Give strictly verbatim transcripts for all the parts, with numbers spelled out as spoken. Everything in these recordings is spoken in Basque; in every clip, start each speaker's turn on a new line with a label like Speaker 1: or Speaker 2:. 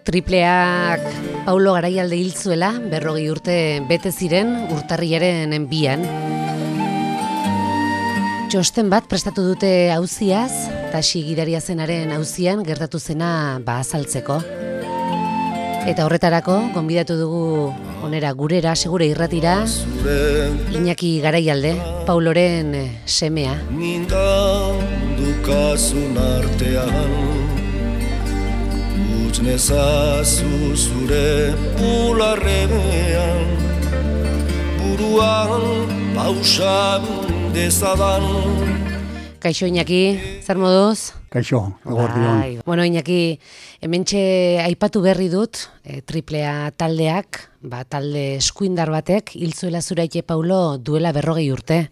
Speaker 1: Tripleak Paulo Garaialde hil zuela, berrogei urte bete ziren urtarrilaren bian. Txosten bat prestatu dute auziaz, taxi gidaria zenaren auzian gertatu zena ba azaltzeko. Eta horretarako, gonbidatu dugu onera gurera, segure irratira, Iñaki Garaialde, Pauloren semea.
Speaker 2: Mingandukasun artean Nezazu zure bularrean buruan pausa dezadan.
Speaker 1: Kaixo Iñaki, zer moduz?
Speaker 3: Kaixo, eguerdion.
Speaker 1: Bueno Iñaki, hementxe aipatu berri dut, e, triplea taldeak, ba, talde eskuindar batek hil zuela Zuraite Paulo duela berrogei urte.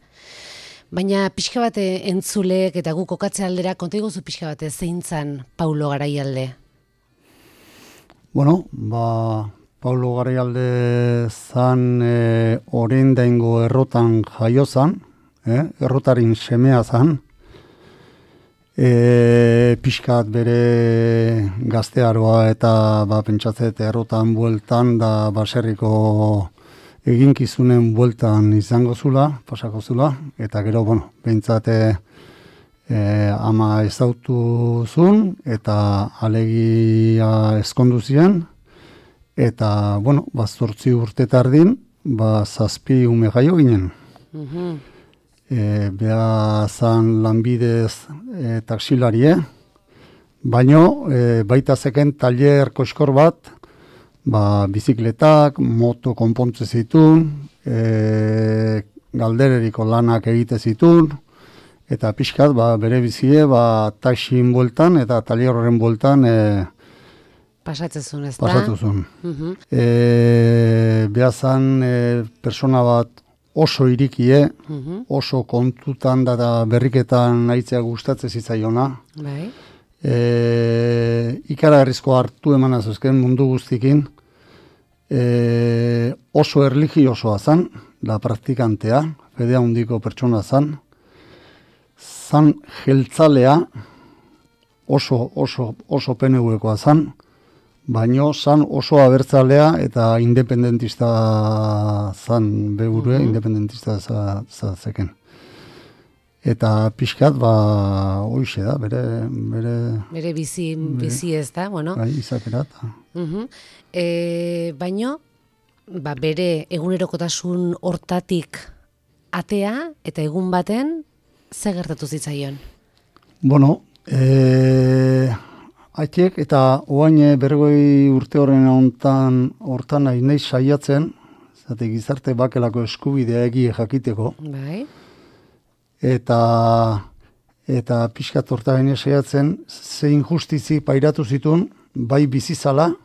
Speaker 1: Baina pixka bate entzulek eta gu kokatze aldera konta iguzu pixka bate zein zan Paulo Garaialde?
Speaker 3: Bueno, ba, Paulo Garaialde zan e, orindaingo errotan jaio zan, eh? Errotarin semea zan, e, pixkat bere gaztearoa eta ba, pentsatzet errotan bueltan da baserriko eginkizunen bueltan izango zula, pasako zula, eta gero, bueno, behintzate E, ama ezautu zun, eta alegia ezkondu ziren, eta, bueno, ba, zortzi urte tardin, ba, zazpi ume jaio ginen. Uh-huh. E, Beha zan lanbidez e, taksilarie, baino, e, baita zeken taller koskor bat, ba, bizikletak, moto konpontze zitun, e, galdereriko lanak egite zitun, eta pixkat, ba, bere bizie, ba, taxin bueltan eta taller horren bueltan e,
Speaker 1: pasatzezun, ez da?
Speaker 3: Pasatzezun. Uh-huh. e, Behazan e, persona bat oso irikie, uh-huh. oso kontutan da berriketan aitzea gustatze zitzaiona.
Speaker 1: Bai.
Speaker 3: E, ikara herrizko hartu eman azuzken mundu guztikin, e, oso erligiosoa zan, da praktikantea, fedea hundiko pertsona zan, zan jeltzalea, oso, oso, oso P N V-koa zan, baino zan oso abertzalea eta independentista zan begure, mm-hmm. independentista za, zeken. Eta pixkat, ba, hoixe da, bere... Bere,
Speaker 1: bere bizi, bizi ez da, bueno.
Speaker 3: Bai, izakerat.
Speaker 1: Uh-huh. E, baino, ba, bere egunerokotasun hortatik atea eta egun baten, ze gertatu zitzaion? Bueno,
Speaker 3: e, haitek eta oain bergoi urte horren hontan hortan nahi nahi saiatzen, zate gizarte bakelako eskubidea egie jakiteko.
Speaker 1: Bai.
Speaker 3: Eta eta pixkat hortan saiatzen, ze injustizi pairatu zitun, bai bizizala,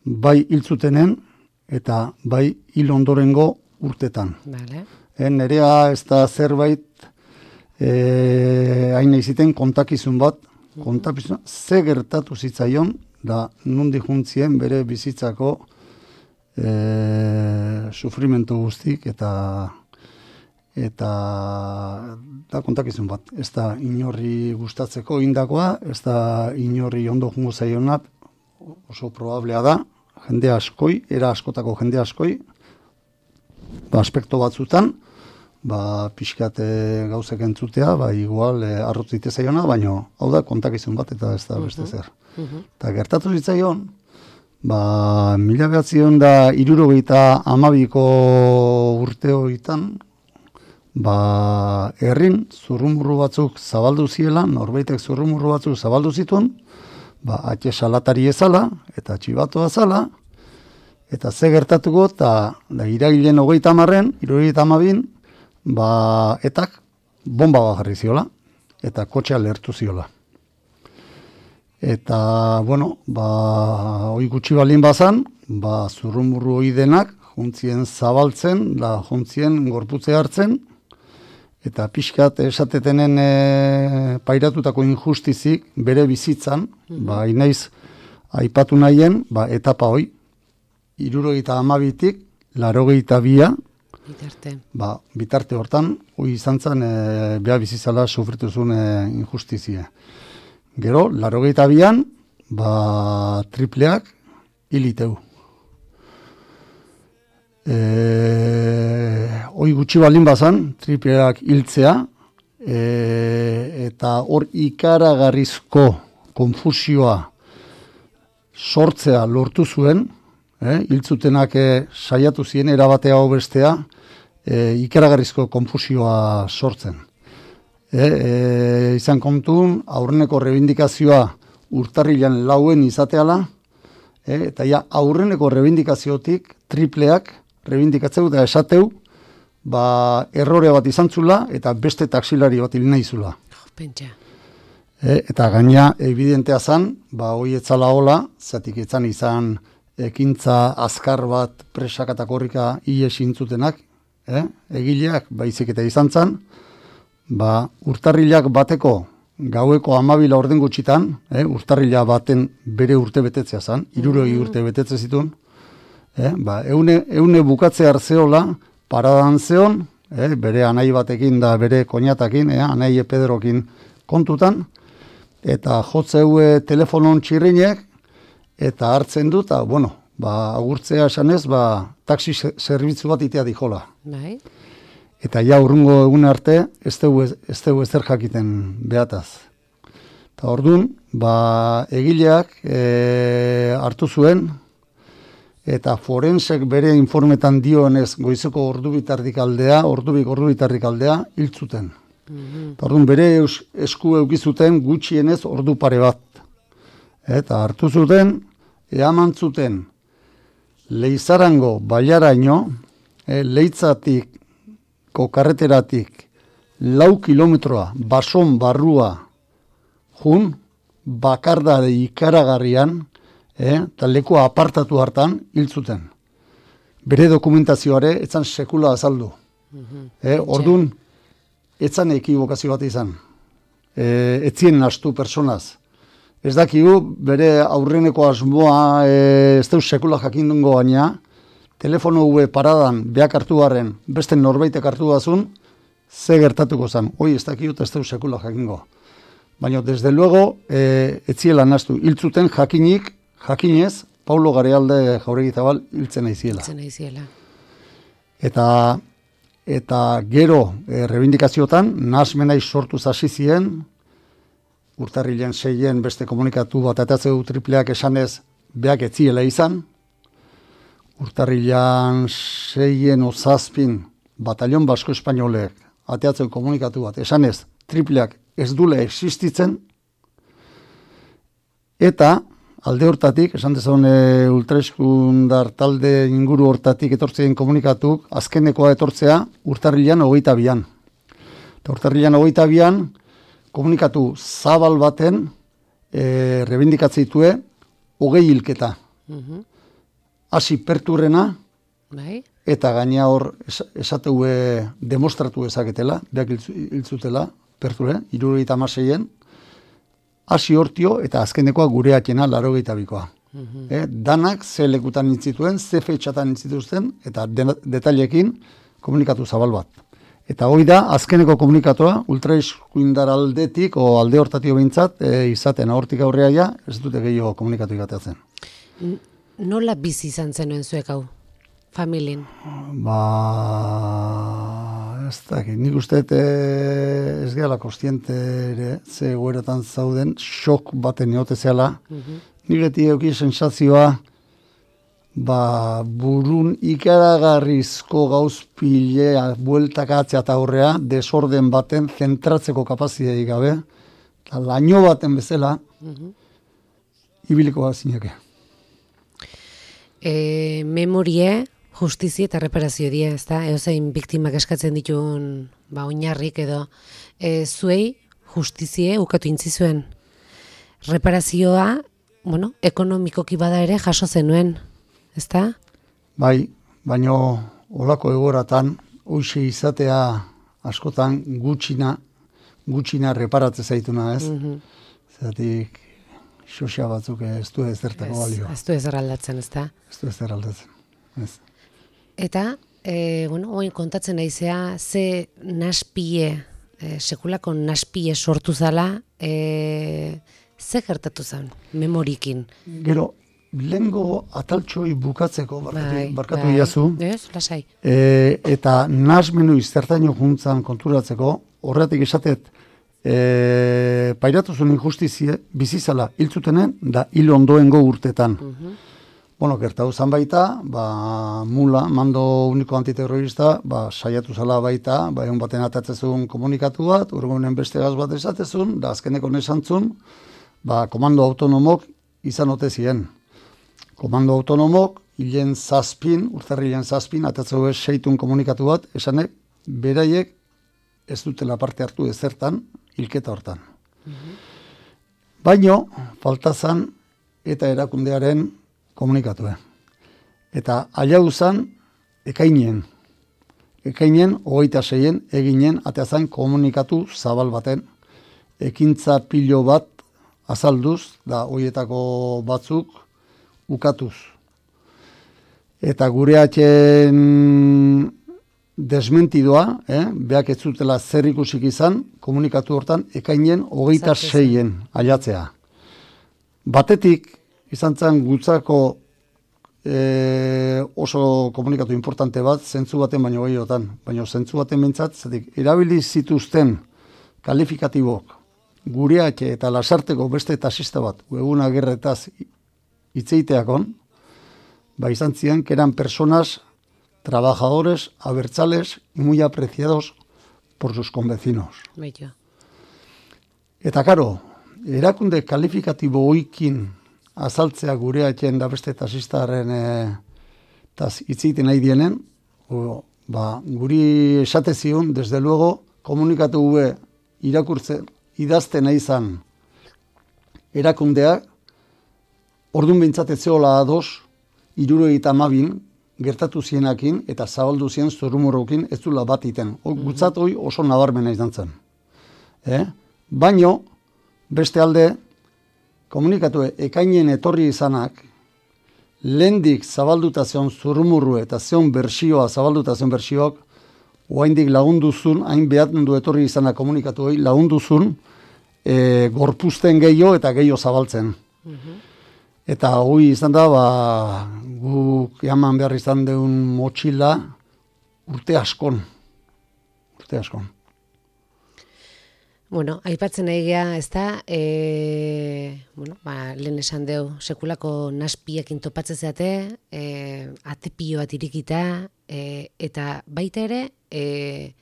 Speaker 3: bai hiltzutenen, eta bai hil ondorengo urtetan.
Speaker 1: Vale.
Speaker 3: E, nerea ez da zerbait E, hain iziten kontakizun bat, kontakizun, ze gertatu zitzaion, da nundi juntzien bere bizitzako e, sufrimentu guztik, eta eta da kontakizun bat. Ez da inorri gustatzeko indakoa, ez da inorri ondo jungo zaiona, oso probablea da, jende askoi, era askotako jende askoi, ba, aspekto batzutan, ba, pixkat gauzek entzutea, ba, igual e, arrotzite zaiona, baina hau da kontakizun bat eta ez da beste zer. Eta uh-huh. gertatu zitzaion, ba, mila behatzion da irurogeita amabiko urte horietan, ba, herrin zurrumurru batzuk zabaldu ziela, norbaitek zurrumurru batzuk zabaldu zituen, ba, atxe salatari ezala, eta txibatoa zala, eta ze gertatuko, eta da, iragilen hogeita amarren, irurogeita amabin, ba, etak bomba bat jarri ziola, eta kotxea lehertu ziola. Eta, bueno, ba, hoi gutxi balin bazan, ba, zurrumurru hoi denak, juntzien zabaltzen, da juntzien gorputze hartzen, eta pixkat esatetenen e, pairatutako injustizik bere bizitzan, mm-hmm. ba, inaiz aipatu nahien, ba, etapa hoi, hirurogeita hamabitik, laurogeita bia,
Speaker 1: Bitarte.
Speaker 3: Ba, bitarte hortan, hoi izan zen, e, beha bizizala sufritu zuen e, injustizia. Gero, laurogeita bian, ba, tripleak hiliteu. E, hoi gutxi baldin bazan, tripleak hiltzea, e, eta hor ikaragarrizko konfusioa sortzea lortu zuen, eh, hiltzutenak eh, saiatu ziren erabatea hau bestea, eh, ikaragarrizko konfusioa sortzen. Eh, eh, izan kontun, aurreneko rebindikazioa urtarrilan lauen izateala, eh, eta ja aurreneko rebindikaziotik tripleak rebindikatzeu eta esateu, ba, errore bat izan zula eta beste taksilari bat hil nahi zula.
Speaker 1: Pentsa.
Speaker 3: E, eta gaina evidentea zan, ba, hoi etzala hola, zatik etzan izan ekintza azkar bat presak eta korrika hile sintzutenak, eh? Egileak baizik eta izan zan, ba, urtarrilak bateko gaueko amabila orden gutxitan, eh? Urtarrila baten bere urte betetzea zan, hirurogei urte betetze zituen, eh? Ba, eune, eune bukatze hartzeola, paradan zeon, eh? Bere anai batekin da bere koñatakin, eh? Anai Pedrokin kontutan, eta jotzeue telefonon txirrinek, eta hartzen du, eta, bueno, ba, agurtzea esanez, ba, taxi zerbitzu bat itea dijola.
Speaker 1: Bai.
Speaker 3: Eta ja urrungo egun arte, ez dugu ez dugu ezer jakiten behataz. Eta orduan, ba, egileak e, hartu zuen, eta forensek bere informetan dioenez goizeko ordubitardik aldea, ordubik ordubitardik aldea, hiltzuten. Mm-hmm. Orduan bere esku eukizuten gutxienez ordu pare bat. Eta hartu zuten, eaman zuten Leizarango bailaraino, e, Leitzatik karreteratik lau kilometroa bason barrua jun, bakardade ikaragarrian, eta e, leku apartatu hartan hil zuten. Bere dokumentazioare etzan sekula azaldu. Mm-hmm. E, orduan, etzan ekibokazio bat izan. E, etzien nastu personaz. Ez dakigu, bere aurreneko asmoa e, ez deu sekula jakindungo baina, telefono ue paradan beak hartu garren, beste norbaitek hartu bazun, ze gertatuko zan. Hoi ez dakigu eta ez deu sekula jakingo. Baina, desde luego, e, etziela nastu. Hiltzuten jakinik, jakinez, Paulo Garealde Jauregi Zabal hiltzen aiziela.
Speaker 1: Hiltzen aiziela.
Speaker 3: Eta... Eta gero e, rebindikaziotan, nahasmenai sortu hasi ziren, urtarrilen seien beste komunikatu bat atatzeu tripleak esanez beak etziela izan, urtarrilan seien ozazpin batalion basko espainolek ateatzeu komunikatu bat esanez tripleak ez dule existitzen, eta alde hortatik, esan dezagun e, ultraeskundar talde inguru hortatik etortzeen komunikatuk, azkenekoa etortzea urtarrilan hogeita bian. Eta urtarrilan hogeita bian, komunikatu zabal baten e, rebindikatzeitue hogei hilketa. Mm-hmm. Hasi perturrena, bai. Eta gaina hor es, esateue demostratu ezaketela, beak hiltzutela, perture, hirurogeita hamaseien, hasi hortio eta azkenekoa gure atxena laurogeita bikoa. Mm-hmm. eh, danak ze lekutan nintzituen, ze fetxatan nintzituzten, eta de, detailekin komunikatu zabal bat. Eta hoi da, azkeneko komunikatoa, ultraeskuindar aldetik, o alde hortatio behintzat, e, izaten hortik aurrea ja, ez dute gehiago komunikatu igateatzen.
Speaker 1: Nola bizi izan zenuen zuek hau, familien?
Speaker 3: Ba... ez dakit, nik uste ez gehala kostiente ere, ze goeratan zauden, xok baten eote zehala. Mm-hmm. Nik beti euki sensazioa, ba, burun ikaragarrizko gauzpilea, bueltakatzea eta horrea, desorden baten zentratzeko kapazidei gabe, eta laino baten bezala, mm-hmm. ibiliko bat zineke.
Speaker 1: E, memorie, justizi eta reparazio die, ez da? Eozein biktimak eskatzen dituen ba, oinarrik edo. E, zuei justizie ukatu intzizuen. Reparazioa, bueno, ekonomikoki bada ere jaso zenuen, ez da?
Speaker 3: Bai, baino olako egoratan, hoxe izatea askotan gutxina, gutxina reparatze zaituna, ez? Mm-hmm. Zeratik, xoxa batzuk ez du ez zertako balio.
Speaker 1: Ez du ez erraldatzen, ez da?
Speaker 3: Ez du ez erraldatzen, ez.
Speaker 1: Eta, e, bueno, oin kontatzen naizea, ze naspie, e, sekulako naspie sortu zala, e, Ze gertatu zen, memorikin?
Speaker 3: Gero, lehengo ataltxoi bukatzeko, barkatu,
Speaker 1: Bai,
Speaker 3: barkatu
Speaker 1: bai.
Speaker 3: iazu,
Speaker 1: Ez, lasai.
Speaker 3: e, eta nasmenu iztertaino juntzan konturatzeko, horretik esatet, e, pairatu zuen injustizie, bizizala hiltzutenen, da hil ondoengo urtetan. Bueno, gertatu zan baita, ba, mula, mando uniko antiterrorista, ba, saiatu zala baita, ba, egun baten atatzezun komunikatu bat, urgunen beste gaz bat esatezun, da azkeneko nesantzun, ba, komando autonomok izan ote ziren. Komando autonomok, hilen zazpin, urtarrilen zazpin, atatzeu ez seitun komunikatu bat, esanek, beraiek ez dutela parte hartu ezertan, hilketa hortan. Baino, faltazan eta erakundearen komunikatue. Eta alau zan, ekainen. Ekainen, hogeita seien, eginen, ateazan komunikatu zabal baten. Ekintza pilo bat azalduz, da hoietako batzuk ukatuz. Eta gure atxen desmentidoa, eh, beak ez zutela zer ikusik izan, komunikatu hortan, ekainen hogeita seien ailatzea. Batetik, izan zen gutzako e, oso komunikatu importante bat, zentzu baten baino gehiotan. Baina zentzu baten bintzat, zetik, erabili zituzten kalifikatibok gureatxe eta lasarteko beste tasista bat, eguna gerretaz itzeiteakon, ba izan ziren, que eran personas, trabajadores, abertzales, muy apreciados por sus convecinos.
Speaker 1: Bello.
Speaker 3: Eta karo, erakunde kalifikatibo oikin azaltzea gure atxen da beste tasistaren e, taz itzeiten nahi dienen, o, ba, guri esate zion, desde luego, komunikatu gube irakurtzen, idazten nahi zan erakundeak, ordun bintzateziola ados, irurogeita hamabin, gertatu zienakin, eta zabaldu zien zorumorrokin ez dula bat iten. O, gutzat hoi oso nabarmena izan zen. Eh? Baino, beste alde, komunikatu ekainen etorri izanak, lehendik zabalduta zion zurumurru eta zion bersioa, zabalduta zion bersioak, oaindik lagunduzun, hain behatendu etorri izanak komunikatu hori, lagunduzun, e, gorpuzten gehiago eta gehiago zabaltzen. Eta hori izan da, ba, guk jaman behar izan deun motxila urte askon. Urte askon.
Speaker 1: Bueno, aipatzen egia, ez da, e, bueno, ba, lehen esan deu, sekulako naspiekin topatzen zeate, e, atepio bat irikita, e, eta baita ere, e,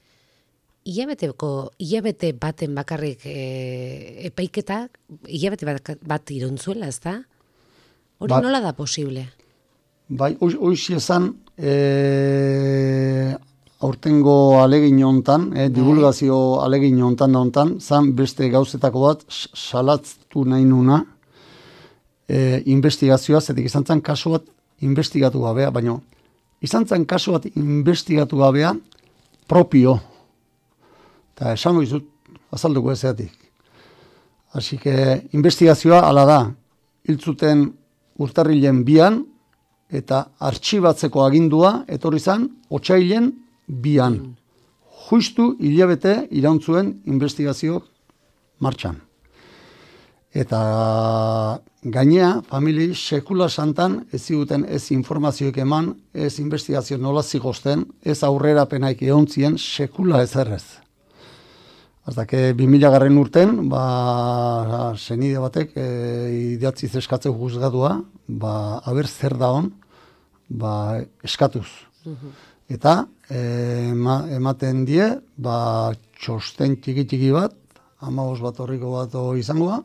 Speaker 1: hilabeteko, hilabete baten bakarrik e, epaiketak, hilabete bat, bat iruntzuela, ez da? Hori
Speaker 3: Ba-
Speaker 1: nola da posible?
Speaker 3: Bai, hoiz esan, e, aurtengo alegin hontan, eh, divulgazio alegin hontan da hontan, zan beste gauzetako bat salatztu nahi nuna eh, investigazioa, zetik izan zen kasu bat investigatu gabea, baina izan zen kasu bat investigatu gabea propio. Eta esango izut, azalduko ezeatik. Asi que investigazioa ala da, hiltzuten urtarrilen bian, eta artxibatzeko agindua, etorri zan, otsailen bian. Justu hilabete irauntzuen investigazioak martxan. Eta gainea, famili sekula santan ez ziguten ez informazioek eman, ez investigazio nola zigozten, ez aurrerapenaik eontzien sekula ezerrez. Hasta que bi mila garren urten, ba, senide batek e, idatzi zeskatzeu juzgadua, ba, haber zer da hon, ba, eskatuz. Eta e, ema, ematen die, ba, txosten txiki-txiki bat, hamabost bat horriko bat izangoa,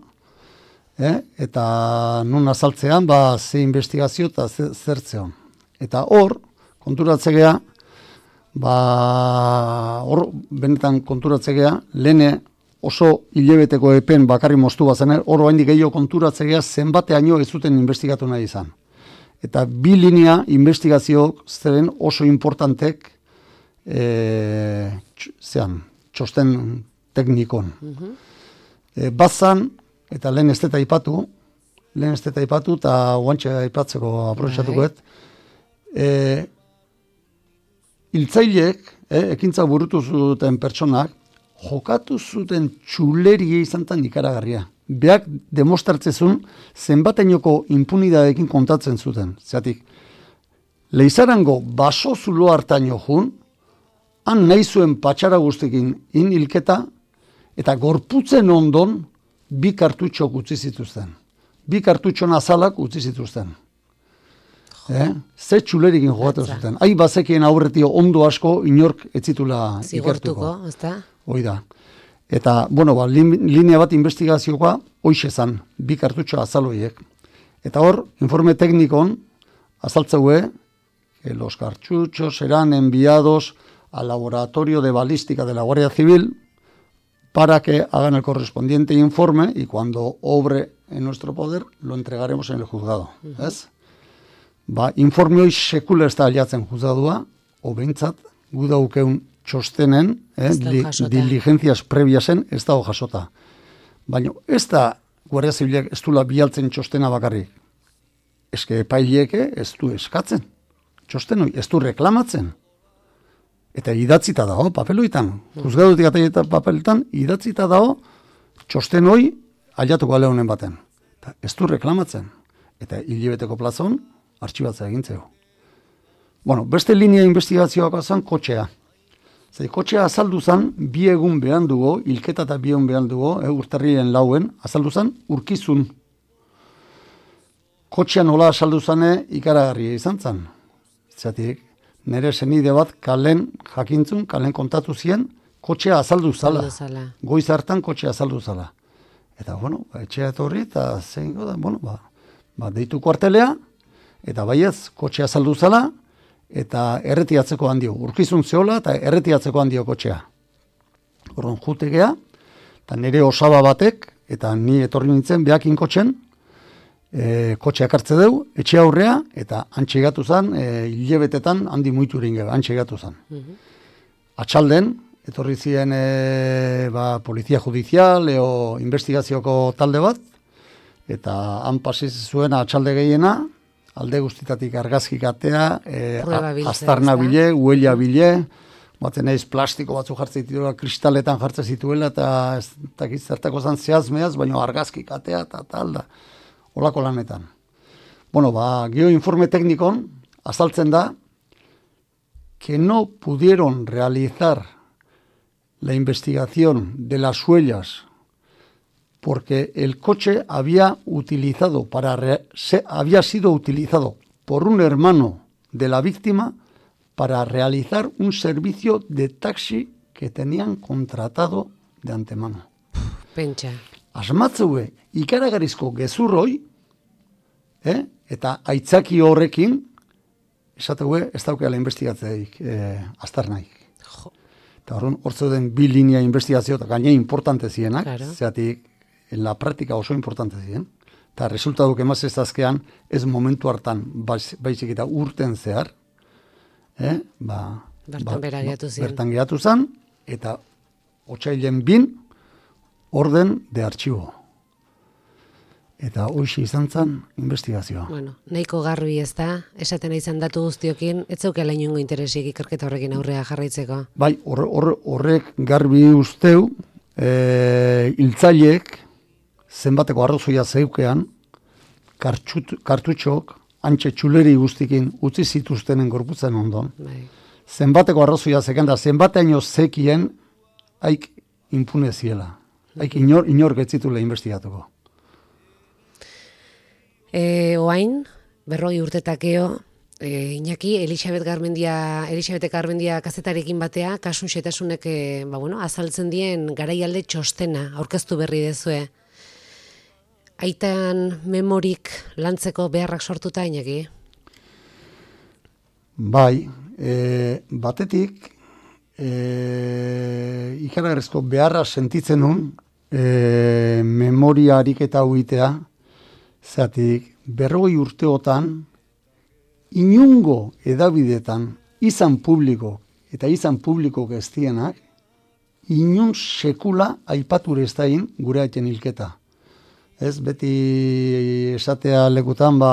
Speaker 3: eh? Eta nun azaltzean, ba, ze investigazio eta ze, zertzeon. Eta hor, konturatzegea, ba, hor, benetan konturatzegea, lehene oso hilebeteko epen bakarri moztu bazen, hor oraindik gehiago konturatzegea zenbateaino ez zuten investigatu nahi izan. Eta bi linea investigazioak zeren oso importantek e, tx, zean, txosten teknikon. E, bazan, eta lehen ez deta ipatu, lehen ez deta ipatu, eta guantxe aipatzeko aprobetxatukoet, e, hiltzaileek, eh, ekintza burutu zuten pertsonak, jokatu zuten txulerie izan tan ikaragarria. beak demostratzezun zenbatenoko impunidadekin kontatzen zuten. Zeratik, Leizarango baso zulo hartaino jun, han nahi zuen patxara guztekin in hilketa, eta gorputzen ondon bi kartutxok utzi zituzten. Bi kartutxon azalak utzi zituzten. Eh? Ze txulerikin jogatu zuten. Hai bazekien aurretio ondo asko inork etzitula ikertuko.
Speaker 1: Ezta?
Speaker 3: Hoi da. Eta, bueno, ba, linea bat investigazioa hoixe zan, bi kartutxo azaloiek. Eta hor, informe teknikon azaltzeue, que los cartuchos serán enviados al laboratorio de balística de la Guardia Civil para que hagan el correspondiente informe y cuando obre en nuestro poder lo entregaremos en el juzgado. Uh-huh. ¿Es? Ba, informe hoi sekula ez da aliatzen juzgadua, o behintzat, gu daukeun txostenen, eh, li, diligencias previasen, ez dago jasota. Baina ez da Guardia Zibilek ez dula bialtzen txostena bakarrik. Eske epaileeke ez du eskatzen. Txosten hoi, ez du reklamatzen. Eta idatzita dago, papeloitan. Juzgadutik eta papeloitan, idatzita dago, txosten hoi aliatuko aleunen baten. Eta ez du reklamatzen. Eta hilibeteko plazon, artxibatzea egintzeu. Bueno, beste linea investigazioak zan kotxea. Zer, kotxea azaldu zan, bi egun behan dugu, hilketa eta bi egun behan dugu, eh, urtarrien lauen, azaldu zan, urkizun. Kotxea nola azaldu zane ikaragarria izan zan. Zatik, nire senide bat kalen jakintzun, kalen kontatu zien, kotxea azaldu zala. Goiz hartan kotxea azaldu zala. Eta, bueno, etxea etorri, eta zein da, bueno, ba, ba, deitu kuartelea, eta baiez, kotxea azaldu zala, eta erretiatzeko handio. Urkizun zeola, eta erretiatzeko handio kotxea. Horren jutegea, eta nire osaba batek, eta ni etorri nintzen, behakin kotxen, E, kotxeak hartze deu, etxe aurrea, eta antxegatu zan, e, hilebetetan handi muitu ringe, antxegatu zan. Uh-huh. Atxalden, etorri ziren e, ba, polizia judizial, eo investigazioko talde bat, eta han pasiz zuen atxalde gehiena, alde guztitatik argazkik atea, e, aztarna bile, huella bile, batzen eiz plastiko batzu jartzen zituela, kristaletan jartzen zituela, eta ez dakiz zertako zan zehazmeaz, baina argazkik atea, eta tal da. Olako lanetan. Bueno, ba, geoinforme teknikon azaltzen da que no pudieron realizar la investigación de las huellas porque el coche había utilizado para re, se, había sido utilizado por un hermano de la víctima para realizar un servicio de taxi que tenían contratado de antemano.
Speaker 1: Pentsa.
Speaker 3: Asmatzeue, ikaragarizko gezurroi, eh? Eta aitzaki horrekin, esateue, ez daukeala investigatzeik, eh, aztarnaik. Jo. Eta horren, hortzo den bi linea investigazio, eta gaine importante zienak, claro. Zeatik, en la práctica oso importante zien. Eta resultaduk emaz ez azkean, ez momentu hartan, baizik eta urten zehar, eh? ba,
Speaker 1: bertan
Speaker 3: ba,
Speaker 1: geratu zien.
Speaker 3: Bertan geratu zan, eta otsailen bin, orden de artxibo. Eta hoxe izan zen investigazioa.
Speaker 1: Bueno, nahiko garbi ez da, esaten izan datu guztiokin, ez zeukela inongo interesik ikerketa horrekin aurrea jarraitzeko.
Speaker 3: Bai, horre, horre, horrek garbi usteu, e, hiltzaileek zenbateko arrozoia zeukean, kartxut, kartutxok, antxe txuleri guztikin utzi zituztenen gorputzen ondon. Bai. Zenbateko arrozoia zeken da, zenbateaino zekien haik impune ziela. Haik inor, inor getzitula investigatuko.
Speaker 1: E, oain, berrogi urtetakeo, e, Iñaki, Elisabet Garmendia, Elisabete Garmendia kazetarekin batea, kasun xetasunek e, ba, bueno, azaltzen dien garaialde txostena, aurkeztu berri dezue. Aitan memorik lantzeko beharrak sortuta, Iñaki?
Speaker 3: Bai, e, batetik, e, ikaragarrizko beharra sentitzen nun, e, memoria ariketa huitea, zeatik, berrogei urteotan, inungo edabidetan, izan publiko, eta izan publiko geztienak, inun sekula aipature ez dain gure haiten hilketa. Ez, beti esatea lekutan, ba,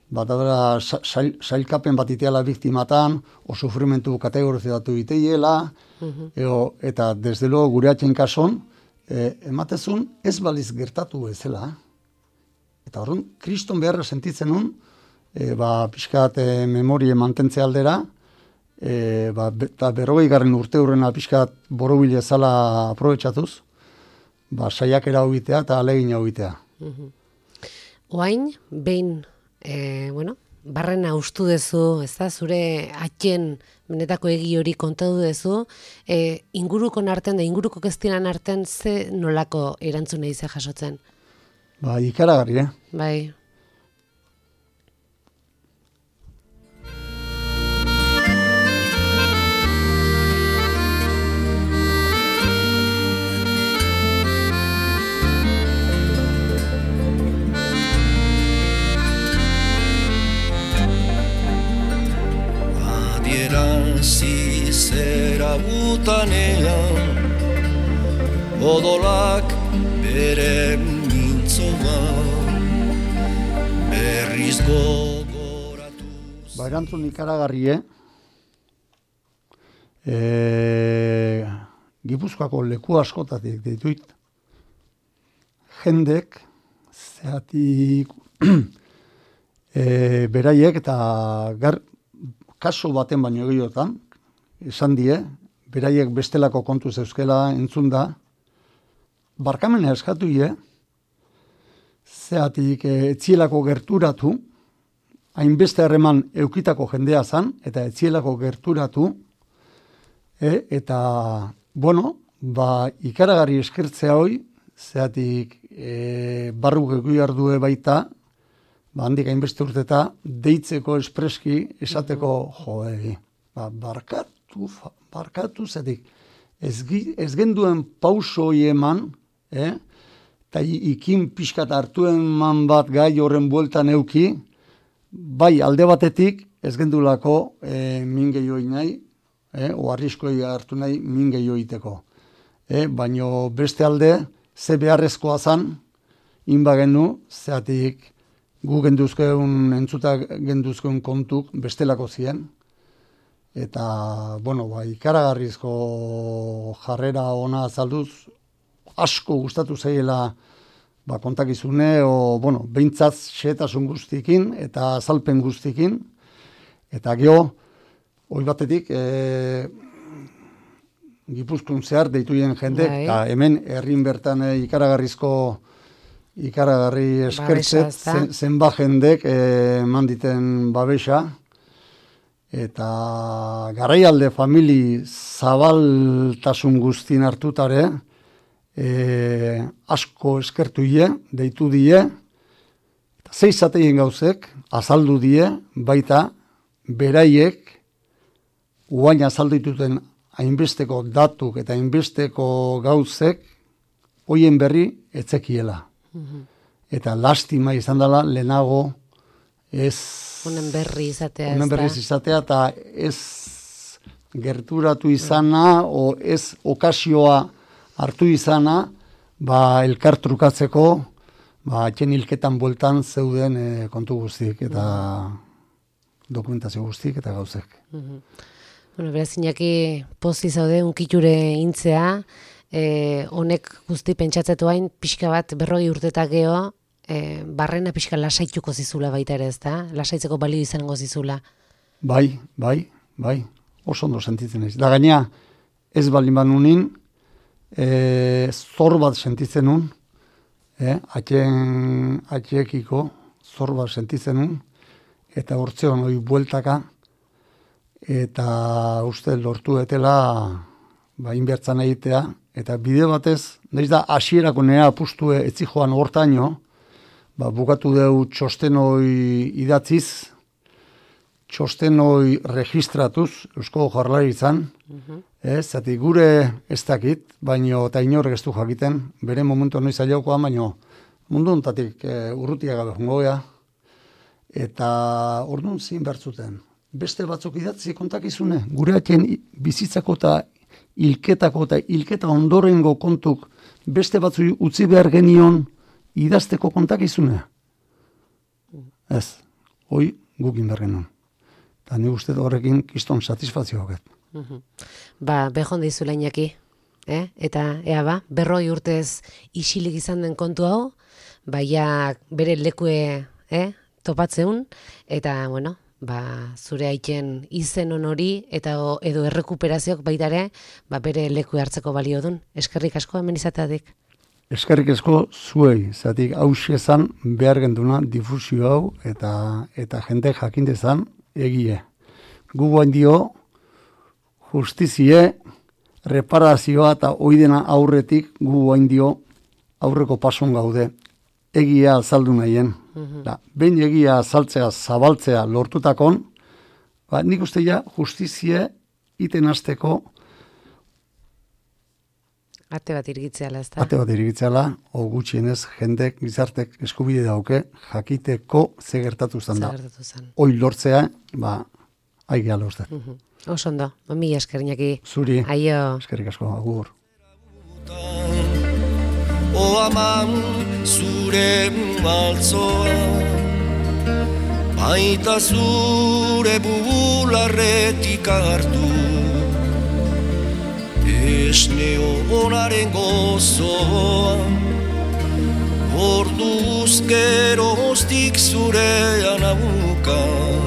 Speaker 3: bat adara, sailkapen bat iteala biktimatan, o sufrimentu kategorizatu iteiela, uh-huh. Eo, eta desde luego gure haiten kason, e, ematezun ez baliz gertatu bezala, eta horren, kriston beharra sentitzen nun, e, ba, pixkat e, memorie mantentzea aldera, e, ba, be, eta berrogei garren urte hurrena pixkat borobile zala aprobetsatuz, ba, saiakera hobitea eta alegin hobitea.
Speaker 1: Mhm. Oain, behin, e, bueno, barrena ustu dezu, ez da, zure atxen benetako egi hori kontatu dezu, e, ingurukon arten da inguruko keztinan arten ze nolako erantzuna ize jasotzen?
Speaker 3: Ba, ikaragarri, eh?
Speaker 1: Bai.
Speaker 2: Adierazi zera butanean, odolak bere mintzoa, berriz gogoratuz.
Speaker 3: Ba, erantzun ikaragarri, eh? E, Gipuzkoako leku askotatik dituit, jendek, zeatik, e, beraiek eta gar, kaso baten baino egiotan, esan die, beraiek bestelako kontu zeuzkela entzun da, barkamena eskatu ie, zeatik e, etzielako gerturatu, hainbeste harreman eukitako jendea zan, eta etzielako gerturatu, e, eta, bueno, ba, ikaragarri eskertzea hoi, zeatik e, barruk egu ardue baita, ba, handik hainbeste urteta, deitzeko espreski, esateko, jo, e, ba, barkatu, barkatu, zeatik, ez, ez genduen pauso hoi eman, eh? Eta ikin pixkat hartuen man bat gai horren bueltan euki, bai alde batetik ez gendulako e, min gehioi nahi, eh? O arriskoi hartu nahi min gehioiteko. Eh? Baino beste alde, ze beharrezkoa zan, inba genu, zeatik gu genduzkeun, entzuta genduzkeun kontuk bestelako ziren, eta, bueno, ba, ikaragarrizko jarrera ona azalduz, asko gustatu zaiela ba, kontakizune, o, bueno, behintzat xehetasun guztikin eta azalpen guztikin. Eta geho, hoi batetik, e, Gipuzkoan zehar deituien jendek, eta hemen herrin bertan e, ikaragarrizko, ikaragarri eskertzet, zen, zenba jendek eman diten babesa, eta garaialde famili zabaltasun guztin hartutare, E, asko eskertu die, deitu die, eta zeizateien gauzek, azaldu die, baita, beraiek, uain azaldu dituten hainbesteko datuk eta hainbesteko gauzek, hoien berri etzekiela. Mm-hmm. Eta lastima izan dela, lehenago, ez...
Speaker 1: Honen berri izatea.
Speaker 3: Honen berri izatea, eta ez gerturatu izana, mm. o ez okasioa hartu izana, ba, elkar trukatzeko, ba, atxen hilketan bueltan zeuden e, kontu guztik, eta dokumentazio guztik, eta gauzek.
Speaker 1: Mm-hmm. Bueno, beraz, Iñaki, pozi zaude, unkiture intzea, e, honek guzti pentsatzetu hain, pixka bat, berroi urtetak geho, e, barrena pixka lasaituko zizula baita ere, ez da? Lasaitzeko balio izango zizula.
Speaker 3: Bai, bai, bai, oso ondo sentitzen ez. Da gaina, ez balin banunin, E, zor bat sentitzen nun, eh? atxen, atxekiko zor bat sentitzen nun, eta hortzean hori bueltaka, eta uste lortu etela ba, inbertzan egitea, eta bide batez, nahiz da hasierako nea apustue etzi joan hortaino, ba, bukatu deu txosten hori idatziz, txosten hori registratuz, Eusko Jaurlaritzan, uh-huh. Ez, zati gure ez dakit, baino eta inorek ez du jakiten, bere momentu noiz aiaukoa, baino mundu ontatik e, urrutia gabe jongoea, eta orduan zin bertzuten. Beste batzuk idatzi kontakizune, gure atien bizitzako eta hilketako eta hilketa ondorengo kontuk beste batzu utzi behar genion idazteko kontakizune. Ez, hoi gukin behar genuen. Eta ni uste horrekin kiston satisfazioa hoket.
Speaker 1: Ba, behon dizula Iñaki. eh? Eta ea ba, berroi urtez isilik izan den kontu hau, baia bere lekue eh? topatzeun, eta bueno, ba, zure aiken izen hori eta o, edo errekuperazioak baitare, ba, bere leku hartzeko balio dun. Eskerrik asko hemen izateadik.
Speaker 3: Eskerrik asko zuei, zatik hauxe ezan behar genduna difusio hau eta eta jende jakindezan egie. Gu guain dio justizie, reparazioa eta oidena aurretik gu guain dio aurreko pason gaude. Egia azaldu nahien. Mm-hmm. Da, behin egia azaltzea, zabaltzea lortutakon, ba, nik uste ja justizie iten hasteko
Speaker 1: Ate bat irgitzeala, ez da?
Speaker 3: Ate bat irgitzeala, o gutxienez, jendek, gizartek eskubide dauke, jakiteko ze gertatu zen da.
Speaker 1: Ze gertatu zen.
Speaker 3: Hoi lortzea, ba, aigia lortzen.
Speaker 1: Uh -huh. Oso ondo, mami eskerrinaki.
Speaker 3: Zuri,
Speaker 1: Aio.
Speaker 3: eskerrik asko, agur.
Speaker 2: O aman zure maltzoa, baita zure bularretik hartu, esne honaren gozoa, orduz geroztik zurean abuka.